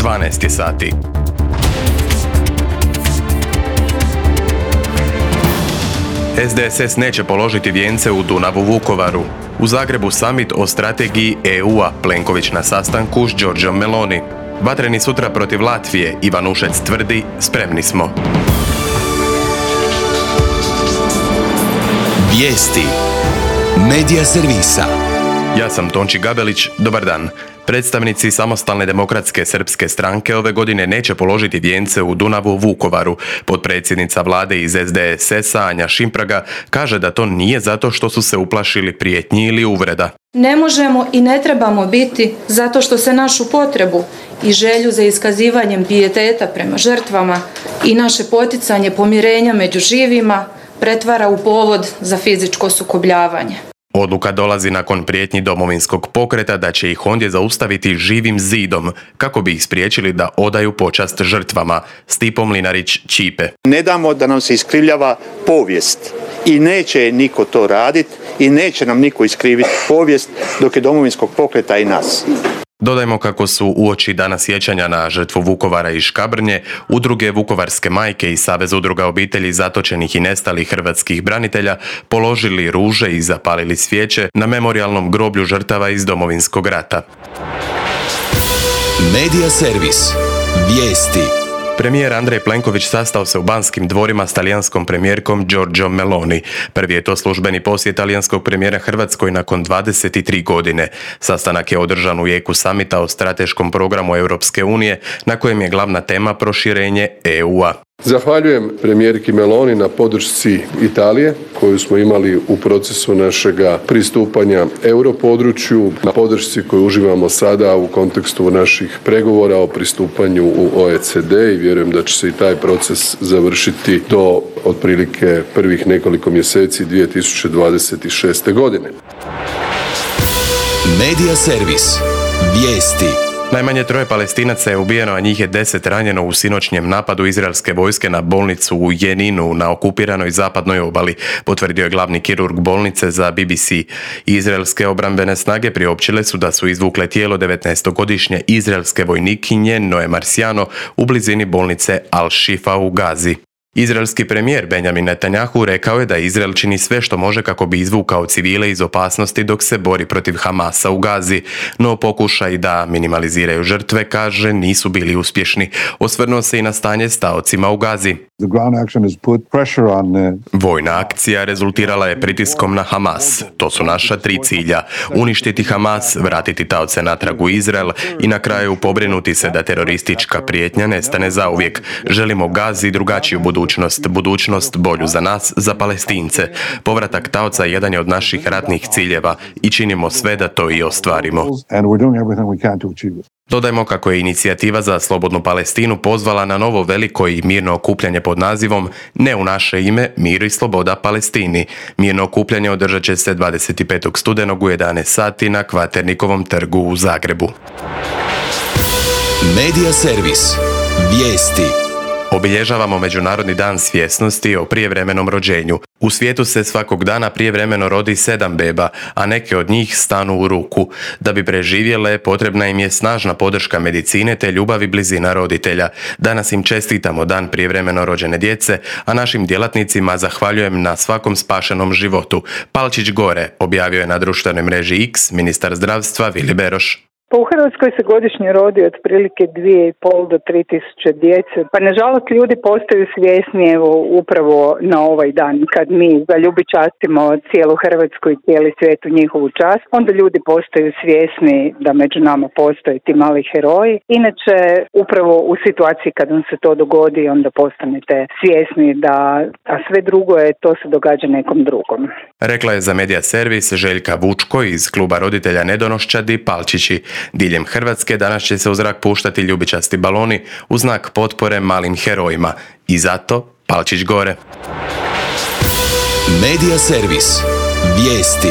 12 sati. SDSS neće položiti vijence u Dunavu Vukovaru. U Zagrebu summit o strategiji EU-a, Plenković na sastanku s Giorgiom Meloni. Vatreni sutra protiv Latvije, Ivan Ušec tvrdi, spremni smo. Vijesti Medija servisa. Ja sam Tonči Gabelić, dobar dan. Predstavnici Samostalne demokratske srpske stranke ove godine neće položiti vijence u Dunavu Vukovaru. Potpredsjednica vlade iz SDSS-a Anja Šimpraga kaže da to nije zato što su se uplašili prijetnji ili uvreda. Ne možemo i ne trebamo biti zato što se našu potrebu i želju za iskazivanjem pijeteta prema žrtvama i naše poticanje pomirenja među živima pretvara u povod za fizičko sukobljavanje. Odluka dolazi nakon prijetnji Domovinskog pokreta da će ih ondje zaustaviti živim zidom kako bi ih spriječili da odaju počast žrtvama. Stipo Mlinarić-Ćipe. Ne damo da nam se iskrivljava povijest i neće niko to raditi i neće nam niko iskriviti povijest dok je Domovinskog pokreta i nas. Dodajmo kako su uoči dana sjećanja na žrtvu Vukovara i Škabrnje, udruge Vukovarske majke i Savez udruga obitelji zatočenih i nestalih hrvatskih branitelja položili ruže i zapalili svijeće na memorijalnom groblju žrtava iz Domovinskog rata. Medija servis. Vijesti. Premijer Andrej Plenković sastao se u Banskim dvorima s talijanskom premijerkom Giorgiom Meloni. Prvi je to službeni posjet talijanskog premijera Hrvatskoj nakon 23 godine. Sastanak je održan u jeku samita o strateškom programu Europske unije, na kojem je glavna tema proširenje EU-a. Zahvaljujem premijerki Meloni na podršci Italije koju smo imali u procesu našega pristupanja europodručju, na podršci koju uživamo sada u kontekstu naših pregovora o pristupanju u OECD i vjerujem da će se i taj proces završiti do otprilike prvih nekoliko mjeseci 2026. godine. Medija servis. Vijesti. Najmanje 3 Palestinaca je ubijeno, a njih je 10 ranjeno u sinoćnjem napadu izraelske vojske na bolnicu u Jeninu na okupiranoj zapadnoj obali, potvrdio je glavni kirurg bolnice za BBC. Izraelske obrambene snage priopćile su da su izvukle tijelo 19-godišnje izraelske vojnikinje Noe Marciano u blizini bolnice Al-Shifa u Gazi. Izraelski premijer Benjamin Netanjahu rekao je da Izrael čini sve što može kako bi izvukao civile iz opasnosti dok se bori protiv Hamasa u Gazi, no pokušaj da minimaliziraju žrtve, kaže, nisu bili uspješni. Osvrnuo se i na stanje s taocima u Gazi. Vojna akcija rezultirala je pritiskom na Hamas. To su naša 3 cilja. Uništiti Hamas, vratiti taoce natrag u Izrael i na kraju pobrinuti se da teroristička prijetnja nestane zauvijek. Želimo Gazi drugačiju budućnost bolju za nas, za Palestince. Povratak taoca jedan je od naših ratnih ciljeva i činimo sve da to i ostvarimo. Dodajmo kako je inicijativa za slobodnu Palestinu pozvala na novo veliko i mirno okupljanje pod nazivom Ne u naše ime, mir i sloboda Palestini. Mirno okupljanje održat će se 25. studenog u 11 sati na Kvaternikovom trgu u Zagrebu. Medija servis. Vijesti. Obilježavamo Međunarodni dan svjesnosti o prijevremenom rođenju. U svijetu se svakog dana prijevremeno rodi 7 beba, a neke od njih stanu u ruku. Da bi preživjele, potrebna im je snažna podrška medicine te ljubav i blizina roditelja. Danas im čestitamo dan prijevremeno rođene djece, a našim djelatnicima zahvaljujem na svakom spašenom životu. Palčić gore, objavio je na društvenoj mreži X ministar zdravstva Vili Beroš. Pa u Hrvatskoj se godišnje rodi otprilike 2,5 do 3.000 djece. Pa nažalost ljudi postaju svjesni upravo na ovaj dan. Kad mi zaljubičastimo cijelu Hrvatsku i cijeli svijet u njihovu čast, onda ljudi postaju svjesni da među nama postoje ti mali heroji. Inače, upravo u situaciji kad vam se to dogodi, onda postanete svjesni da a sve drugo je, to se događa nekom drugom. Rekla je za Medija servis Željka Vučko iz kluba roditelja Nedonoščadi Palčići. Diljem Hrvatske danas će se u zrak puštati ljubičasti baloni u znak potpore malim herojima. I zato Palčić gore. Medija servis. Vijesti.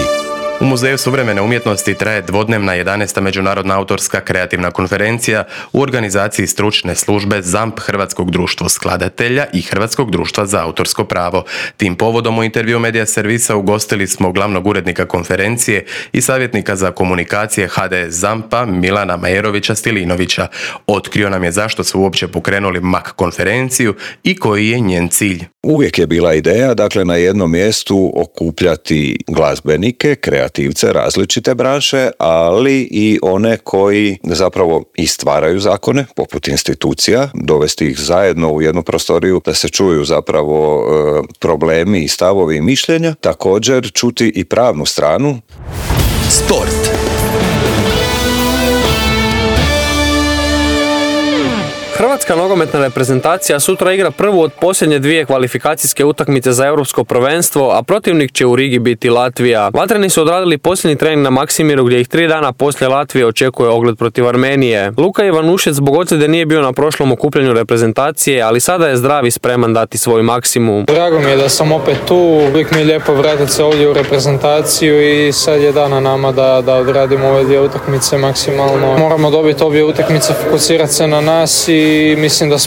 U Muzeju suvremene umjetnosti traje dvodnevna 11. međunarodna autorska kreativna konferencija u organizaciji stručne službe ZAMP Hrvatskog društva skladatelja i Hrvatskog društva za autorsko pravo. Tim povodom u intervju Medija servisa ugostili smo glavnog urednika konferencije i savjetnika za komunikacije HDS ZAMP-a Milana Majerovića Stilinovića. Otkrio nam je zašto su uopće pokrenuli MAK konferenciju i koji je njen cilj. Uvijek je bila ideja, dakle, na jednom mjestu okupljati glazbenike, kreativce, različite branše, ali i one koji zapravo i stvaraju zakone, poput institucija, dovesti ih zajedno u jednu prostoriju da se čuju zapravo problemi i stavovi i mišljenja, također čuti i pravnu stranu. Sport. Hrvatska nogometna reprezentacija sutra igra prvu od posljednje dvije kvalifikacijske utakmice za europsko prvenstvo, a protivnik će u Rigi biti Latvija. Vatreni su odradili posljednji trening na Maksimiru gdje ih 3 dana poslije Latvije očekuje ogled protiv Armenije. Luka Ivanušec zbog ozljede nije bio na prošlom okupljanju reprezentacije, ali sada je zdrav i spreman dati svoj maksimum. Drago mi je da sam opet tu, uvijek mi je lijepo vratiti se ovdje u reprezentaciju i sad je dana nama da odradimo ove dvije utakmice maksimalno. Moramo dobiti obje utakmice, fokusirati se na nas i mislim da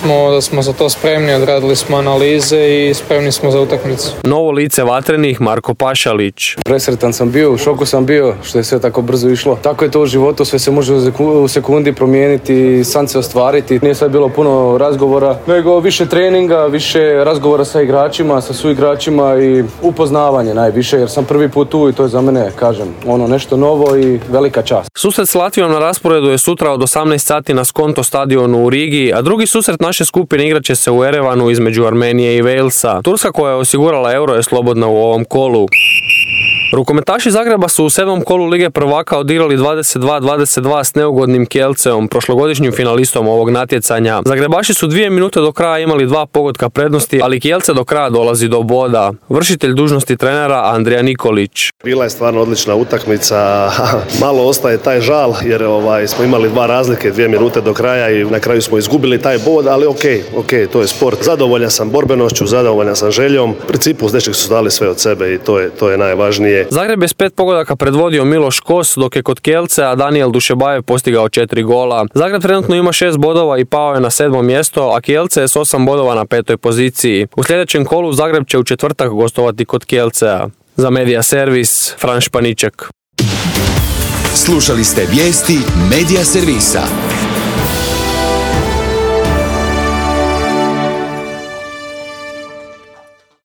smo za to spremni, odradili smo analize i spremni smo za utakmicu. Novo lice Vatrenih Marko Pašalić. Presretan sam bio, u šoku sam bio što je sve tako brzo išlo. Tako je to u životu, sve se može u sekundi promijeniti, san se ostvariti. Nije sad bilo puno razgovora, nego više treninga, više razgovora sa igračima, sa suigračima i upoznavanje najviše, jer sam prvi put tu i to je za mene, kažem, nešto novo i velika čast. Susret s Latvijom na rasporedu je sutra od 18 sati na Skonto stadionu u Rigi, a drugi susret naše skupine igrat će se u Erevanu između Armenije i Walesa. Turska koja je osigurala euro je slobodna u ovom kolu. Rukometaši Zagreba su u 7. kolu Lige prvaka odigrali 22-22 s neugodnim Kielceom, prošlogodišnjim finalistom ovog natjecanja. Zagrebaši su 2 minute do kraja imali 2 pogotka prednosti, ali Kielce do kraja dolazi do boda. Vršitelj dužnosti trenera Andrija Nikolić. Bila je stvarno odlična utakmica, malo ostaje taj žal jer smo imali 2 razlike, 2 minute do kraja i na kraju smo izgubili taj bod, ali ok, to je sport. Zadovoljan sam borbenošću, zadovoljan sam željom. U principu s nečeg su dali sve od sebe i to je najvažnije. Zagreb je s 5 pogodaka predvodio Miloš Kos, dok je kod Kielcea Daniel Dušebajev postigao 4 gola. Zagreb trenutno ima 6 bodova i pao je na 7. mjesto, a Kielce je s 8 bodova na 5. poziciji. U sljedećem kolu Zagreb će u četvrtak gostovati kod Kielcea. Za Medija servis, Fran Španiček. Slušali ste vijesti Medija servisa.